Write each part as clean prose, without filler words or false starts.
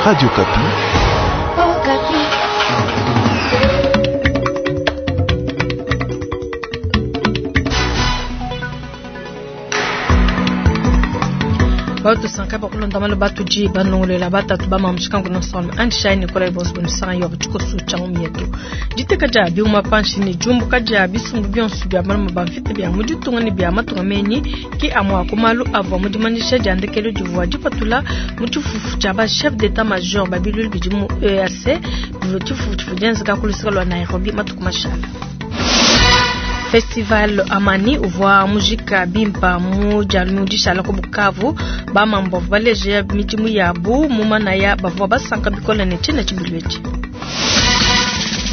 Radio Okapi. Batusanka bakulonda malu batudi banongolola batatu bamamushikangu nosome andishai nikolai bosbonisanga yo tshikosu tshia mu yetu diteka dia biuma panshi ne diumbuka dia bisumbu bionso bia maluma ba mvita bia mu ditunga ne bia matunga menyi ki amua ku malu avua mu dimanyisha dia ndekelu divua dipatula mu tshifufu tshia ba chef d'état major ba bilulu bidi mu EAC bivua tshifufu tshivua dienzeka ku luseke lua Nairobi matuku mashala. Festival Amani uvua mujika bimpa mu dia dishala ku Bukavu. Bamambu bavua baleja midimu yabu mu manaya bavua basanka bikole ne tshiena tshibilu etshi.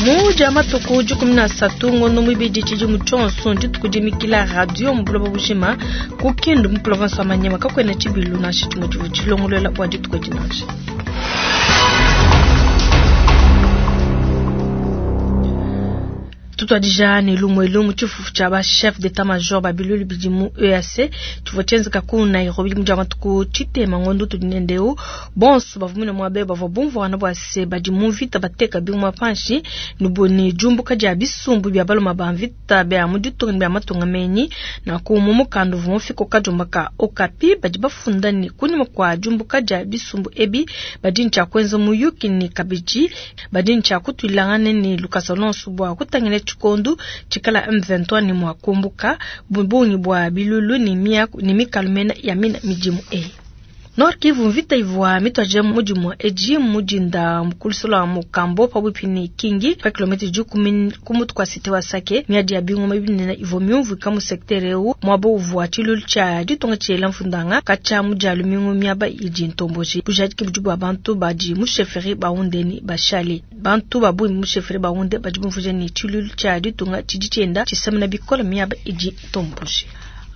Mu dia matuku 13 ngondo muibidi tshidimu tshionso dituku dimikila radio mu buloba bujima ku Kindu mu province wa Maniema kakuena tshibilu nansha tshimue tshivua tshilongolola bua dituku edi nansha. Tutuadija ne lumue lumu tshifufu tshia ba chef d'état major ba bilulu bidi mu EAC tshivua tshienzeka ku Nairobi mu dia matuku tshitema ngondo tudi nendeu bonso bavua mune muabe bavua bumvuana bua se badi mu mvita bateka binguma panshi ne ne diumbuka dia bisumbu bia baluma ba mvita bia mu ditunga ne bia matunga menyi. Nanku mu mukanda uvua mufika kadiomba ka Okapi badi bafunda ne kunyima kua diumbuka dia bisumbu ebi badi ne tshia kuenza muyuki ne kabidi badi ne tshia kutuilangana ne lukasa lonso bua kutangila tshikondo tshikala M23 ne mua kumbuka bungi bua bilulu ne miaku ne mikalu mena ya mina midimu eyi. Nord Kivu mvita ivua mituadije mudimu edi mudinda mukulusola wa Mukambo pabuipi ne Kingi pa kilomita 10 ku mutu kwa cité wa Sake. Miadi ya bingoma binene ivua miumvuika mu secteur eu muaba uvua tshilulu tshia ditunga tshiela mfundanga katshia mu dia lumingu miaba idi ntomboji. Bujadiki budi bua bantu badi mu chefferie baundeni bashale. Bantu ba bungi mu chefferie baunde badi bumvuija ne tshilulu tshia ditunga tshidi tshienda tshisemena bikole miaba idi ntomboji.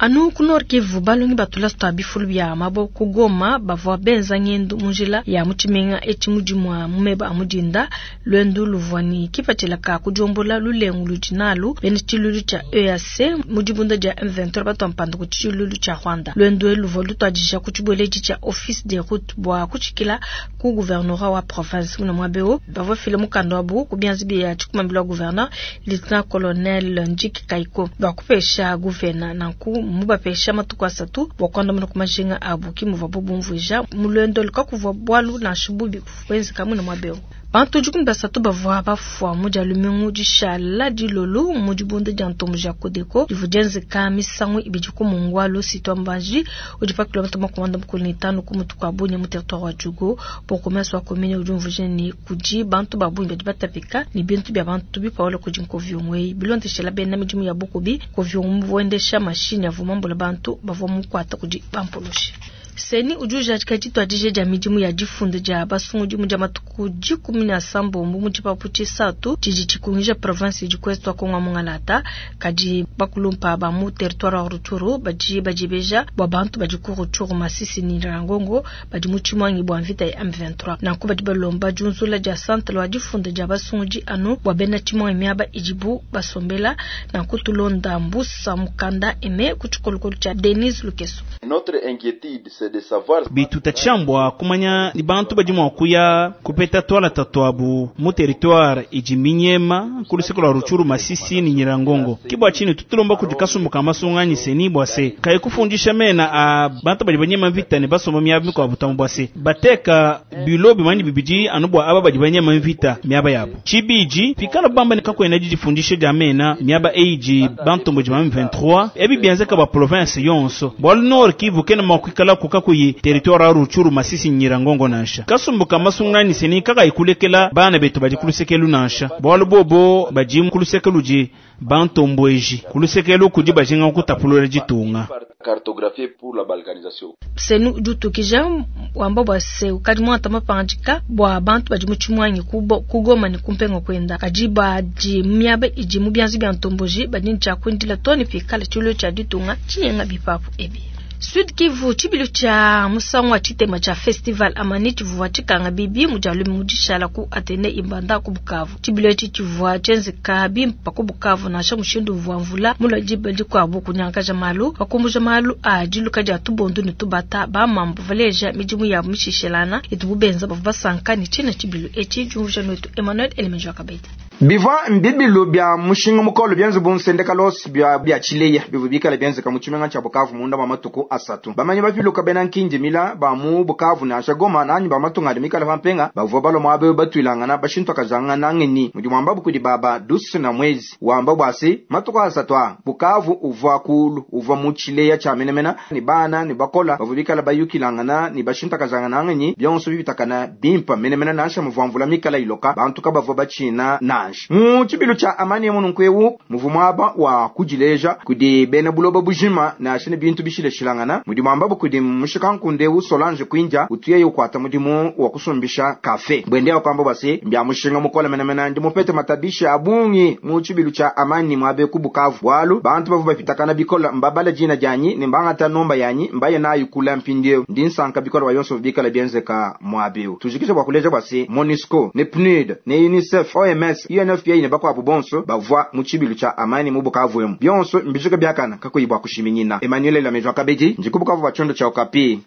Anu ku Nord Kivu balongi batula twa bifulu bya mabo ku Goma bavua benza ngendu mu njila ya mu tshimenga etshi mudimu wa mumeba a mudinda lwendu luvua ne kipatshila ka kudiombola lulengu ludi nalu bena tshilulu tshia EAC mu dibunda dia M23 batwa mpanda ku tshilulu tshia Rwanda. Lwendu elu luvua lutuadija ku tshibueledi tshia Office des routes bua kutshikila ku gouvernorat wa province muna mwabeo bavua file mukanda wabu ku bianza bia tshikumambila wa gouverneur lieutenant colonel Ndjiki Kaiko bua kupesha gouverneur nanku mubapesha matuku asatu bua kuandamuna ku majinga abu ki muvua bumvuija mu lwendo lukakuvua bwalu nansha bubi bwenzeka muna mwabeo. Bantu 13 bavua bafua mu dia lumingu dishala dilolo mu dibunda dia ntombo dia Kodeko divua dienzeka misangu ibidi ku Mongwalu sitwa Mbanji udi pa kilomita 45 ku mutu kwa Bunia mu territoire wa Djugu. Bourgmestre wa commune udi umvuija ne kudi bantu ba bungi badi batapika ne bintu bia bantu bipaola kudi nkoviongwe bilondeshela bena midimu ya bukubi nkoviongwe muendesha mashini avua mambula bantu bavua mukwata kudi bampulushi. Seni udi ujadika dituadije dia midimu ya difunda dia basungudi mu dia matuku 17 mu tshipapu tshisatu tshidi tshikungija province idi ku est wa Kongo Mungalata. Kadi bakulumpa ba mu territoire wa Rutshuru badi badibeja bua bantu badi ku Rutshuru Masisi ne Nyiragongo badi mu tshimwangi bua mvita ya M23. Nanku badi balomba diunzula dia centre wa difunda dia basungudi anu bua bena tshimwangi miaba idibu basombela. Nanku tulonda mbusa mukanda eme ku tshikolokolo tshia Denise Lukeso. Notre inquiétude c'est de savoir bitutachambwa kumanya ni bantu badi mua kuya kupeta twala tatuabu mu territoire idi minyema ku luseke lwa Rutshuru Masisi ni Nyiragongo. Kibwa chini tutulomba kudi kasumbu ka masunganyi seni bwa se kayi kufundisha mena a bantu badi banyema mvita ne basomba miaba mikuabu tamu bwa se bateka bilo bimanyi bibidi anu bua aba badi banyema mvita miaba yabo. Tshibidi pikala bamba ne kakwena didifundisha dia mena miaba eiji bantu badi ba M23 ebi bienzeka ba province yonso bwalu Nord Kivu kena mua kuikala kukakuyi territoire ya Rutshuru Masisi Nyiragongo nansha. Kasumbu ka masungani seni kaka ikulekela bana betu badi kulusekelu nansha bwalu bobo badi kulusekelu di bantombweji kulusekelu kudi bajinga kutapulula ditunga. Cartographie pour la balkanisation. Senu udi utukija wamba bua se ukadi muanta mapangandika bua bantu badi mu tshimwangi ku Goma ne ku mpenga kwenda kadi badi miaba idi mu bianza bia ntomboji badi ne tshia kuindila too ne pikala tshilulu tshia ditunga tshinyenga bipapu ebi. Sud Kivu, tshibilu tshia musangu wa tshitema tshia Festival Amani tshivua tshikanga bibi mu dia lumingu dishala ku Atene Ibanda ku Bukavu. Tshibilu etshi tshivua tshienzeka bimpa ku Bukavu nansha mushindu uvua mvula mulua diba dikuabu kunyangakaja malu, pakumbuja malu a diluka dia tubondu ne tubata. Ba mambu baleja midimu yabu mishishelana itubu benza bavua basanka ne tshina tshibilu etshi. Diumvuija nuetu Emmanuel Elemeji wa Kabedi. Bivua mbibilu bia mushinga mukole bienze bu nsendekalos bia bia tshileya bivua bikale bienzeka mu tshimenga tshia Bukavu munda mua matuku asatu. Bamanyi bapiluka bena nkindimila ba mu Bukavu nansha Goma nanyi ba matunga adi mikale pa mpenga bavua balua muaba eu batuilangana bashintokajangana ngenyi mudi muambabu kudi baba Dusu na Mwezi wamba bua se matuku asatu a Bukavu uvua kulu uvua mu tshileya tshia menemena ne bana ne bakola bavua bikale bayukilangana ne bashintakajangana ngenyi bionso bibitakana bimpa menemena nansha muvua mvula mikala iloka bantu kabavua batshina nansha. Mu tshibilu tshia Amani emu nunku eu muvua muaba wa kudileja kudi bena buloba bujima nansha ne bintu bishilashilangana mudi muambabu kudi mushikankunde eu Solange Kwinja utuye ukuata mudimu wa kusumbisha kafe bwende wakwamba bua se mbia mushinga mukole menemena ndi mupete matabisha a bungi mu tshibilu tshia Amani muabe ku Bukavu bualu bantu bavua bapitakana bikola mbabala dina dianyi ne mbangata nomba yanyi mbaye nayo kula mpindieu ndi nsanka bikola bua yonso bikala bienzeka muabe eu tujikisha bua kuleja bua se MONUSCO ne PNUD ne UNICEF OMS UNFPA ne bakuabu bonso bavua mu tshibilu tshia Amani mu Bukavu emu bionso mbijika biakana kakuyi bua kushiminyina. Emmanuel Lamejo Kabedi ndi ku Bukavu bua tshiondo tshia Okapi.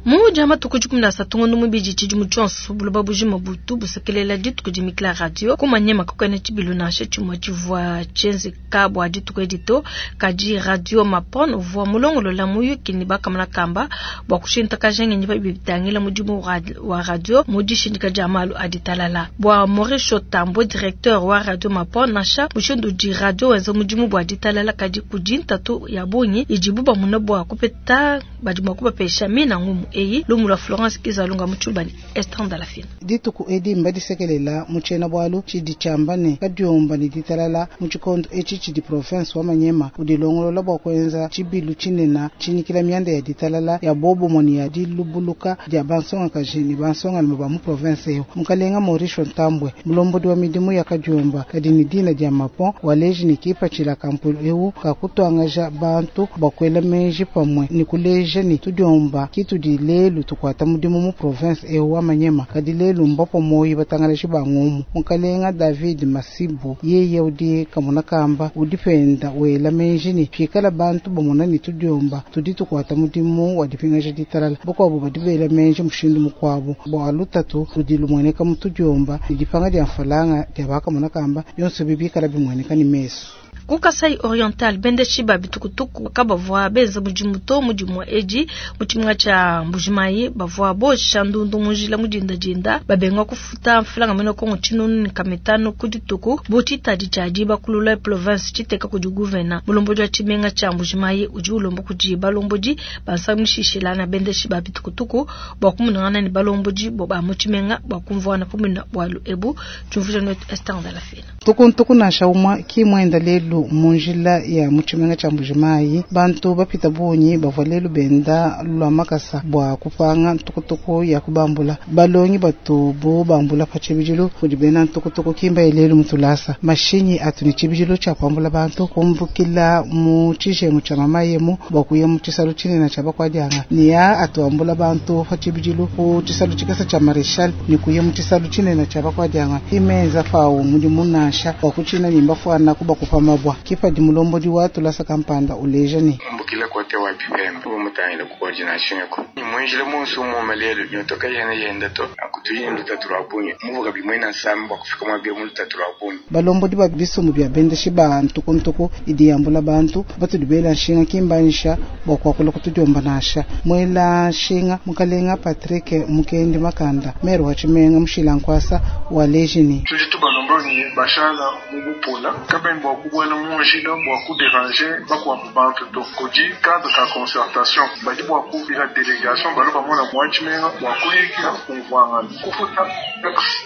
Mu dia matuku 13 ngondo mubidi tshidimu tshionso buloba bujima butu busekelela dituku dimikila radio kumanyema kakuena tshibilu nansha tshimue tshivua tshienzeka bua dituku edi to kadi radio Mapon uvua mulongolola muyuki ne bakamana kamba bua kushintakaja ngenyi pa bitangila mudimu wa radio mu dishindika dia malu a ditalala. Bua Maurice Tambo, directeur wa radio Mapon, nansha mushindu udi radio wenza mudimu bua ditalala kadi kudi ntatu ya bungi idibu bamuna bua kupeta badi mua kubapesha mina ngumu eyi lumu lwa Florence Kizalunga mu Tshilubani Esther Ndalafina. Dituku edi mbadisekelela mu tshiena bualu tshidi tshiamba ne kadiomba ne ditalala mu tshikondo etshi tshidi province wa Manyema udilongolola bua kuenza tshibilu tshinene tshinyikila mianda ya ditalala ya bobomoni ya dilubuluka dia bansongakaji ne bansongalume ba mu province eyo. Mukalenga Maurice Ntambwe, mulombodi wa midimu ya kadiomba kadi ne dina dia Mapon, waleji ne kipatshila kampulu eu kakutuangaja bantu bua kuela meji pamue ne kuleja ne tudiomba kitudi lelu tukuata mudimu mu province eu wa Manyema kadi lelu mbapo moyi batangalaji ba ngumu. Mukalenga David Masibu yeye udi kamuna kamba udi penda wela meji ne pikala bantu bamona ne tudiomba tudi tukuata mudimu wa dipingaja ditalala bukuabu badi bela meji mushindu mukuabu bua lutatu ludi lumueneka mu tudiomba ne dipanga dia mfalanga dia bakamuna kamba bionso bibikala bimueneka ne mesu. Ku Kasai Oriental bendeshi ba bitukutuku kabavua benza mudimu to mudimu edi mu tshimenga tshia Mbujimayi bavua bosha ndundu mu njila mu dindadinda babenga kufuta mfulanga mena Kongo tshinunu ne kamitano ku dituku bu tshitadi tshia dibakulula province tshiteka kudi gouverneur mulombodi wa tshimenga tshia Mbujimayi udi ulomba kudi balombodi bansamishishila na bendeshi ba bitukutuku bua kumunangana ne balombodi ba mu tshimenga bua kumvuana pamue bualu ebu. Tshiumvuija netu Esther Ndalafina. Tukuntuku nansha umue ki muenda lelu mu njila ya mu tshimenga tshia Mbujimayi bantu bapita bungi bavua lelu benda lua makasa bua kupanga ntukutuku ya kubambula. Balongi batu bu bambula pa tshibidilu kudi bena ntukutuku kimba lelu mutulasa mashinyi atu ne tshibidilu tshia kuambula bantu kumbukila mu tshijengu tshia mamayemu bua kuya mu tshisalu tshinene tshia bakuadianga ne ya atuambula bantu pa tshibidilu ku tshisalu tshikasa tshia Marechal ne kuya mu tshisalu tshinene tshia bakuadianga imenza fawu mudimu nansha bua kutshina ne mbafuana kubakupa mabwa. Kipadi mulombodi wa tulasa kampanda uleja ne mbukila kote wa bipembe mutangila ku coordination yako ni mwenjile monso mu malelo nyotoka yene yenda to akutuyi lutatu lwa bungi muvuga bimwe na nsamba kufika mwa bia mu lutatu lwa bungi. Balombodi ba bisumu bia bendeshi ba ntukuntuku idi yambula bantu batudi bela nshinga kimbanisha bua kuakula kutudiomba nasha mwela nshinga mukalenga Patrick Mukendi Makanda meru wa tshimenga mushila nkwasa wa lejini tudi tubalomba ni bashala mu bupola kabeni bua kubuela mu njila bua kudéranger bakuabu bantu to kudi cadre ka concertation badi bua kubila délégation balo bamona mwa tshimenga bua kuyikila kumvuangana kufuta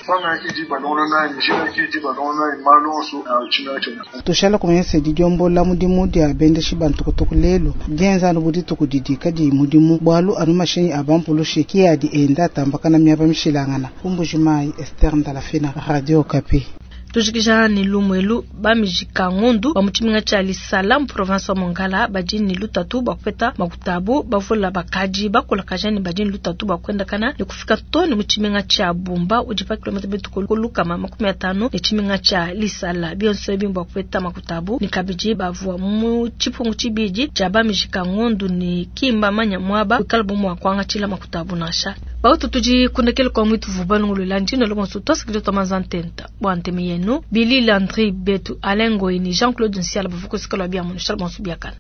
fanga kidi balongolola njila kidi balongolola malu onso a tshimenga tshiena. Tushala kumanyisa didiombola mudimu dia bendeshi bantukutuku lelu dienza anu budituku didi kadi mudimu bualu anu mashinyi a bampulushi ki adi enda atambakana miaba mishilangana. Ku Mbujimayi, Esther Ndalafina, Radio Okapi. Tujikija ne lumu elu, ba mijika ngondu ba mu tshimenga tshia Lisala mu province wa Mongala badi ne lutatu bua kupeta makuta abu. Bavula bakadi bakulakaja ne badi ne lutatu bua kuendakana ne kufika too ne mu tshimenga tshia Bumba udi pa kilomètre mitue ku 150 ne tshimenga tshia Lisala. Bionso ebi mbua kupeta makuta abu ne kabidi bavua mu tshipungu tshibidi tshia ba mijika ngondu ne ki mbamanya muaba wikalabu mua kuangatshila makuta abu nansha. Bautu tudi kundekele kwa mwitu vubalungulula ndino lobonso twasakidila twa manza ntenta bua ntemi yenu Billy Landry Betu Alain Ngoyi ni Jean-Claude Nsiala bavua kusika lua biamu nushala bonso biakana.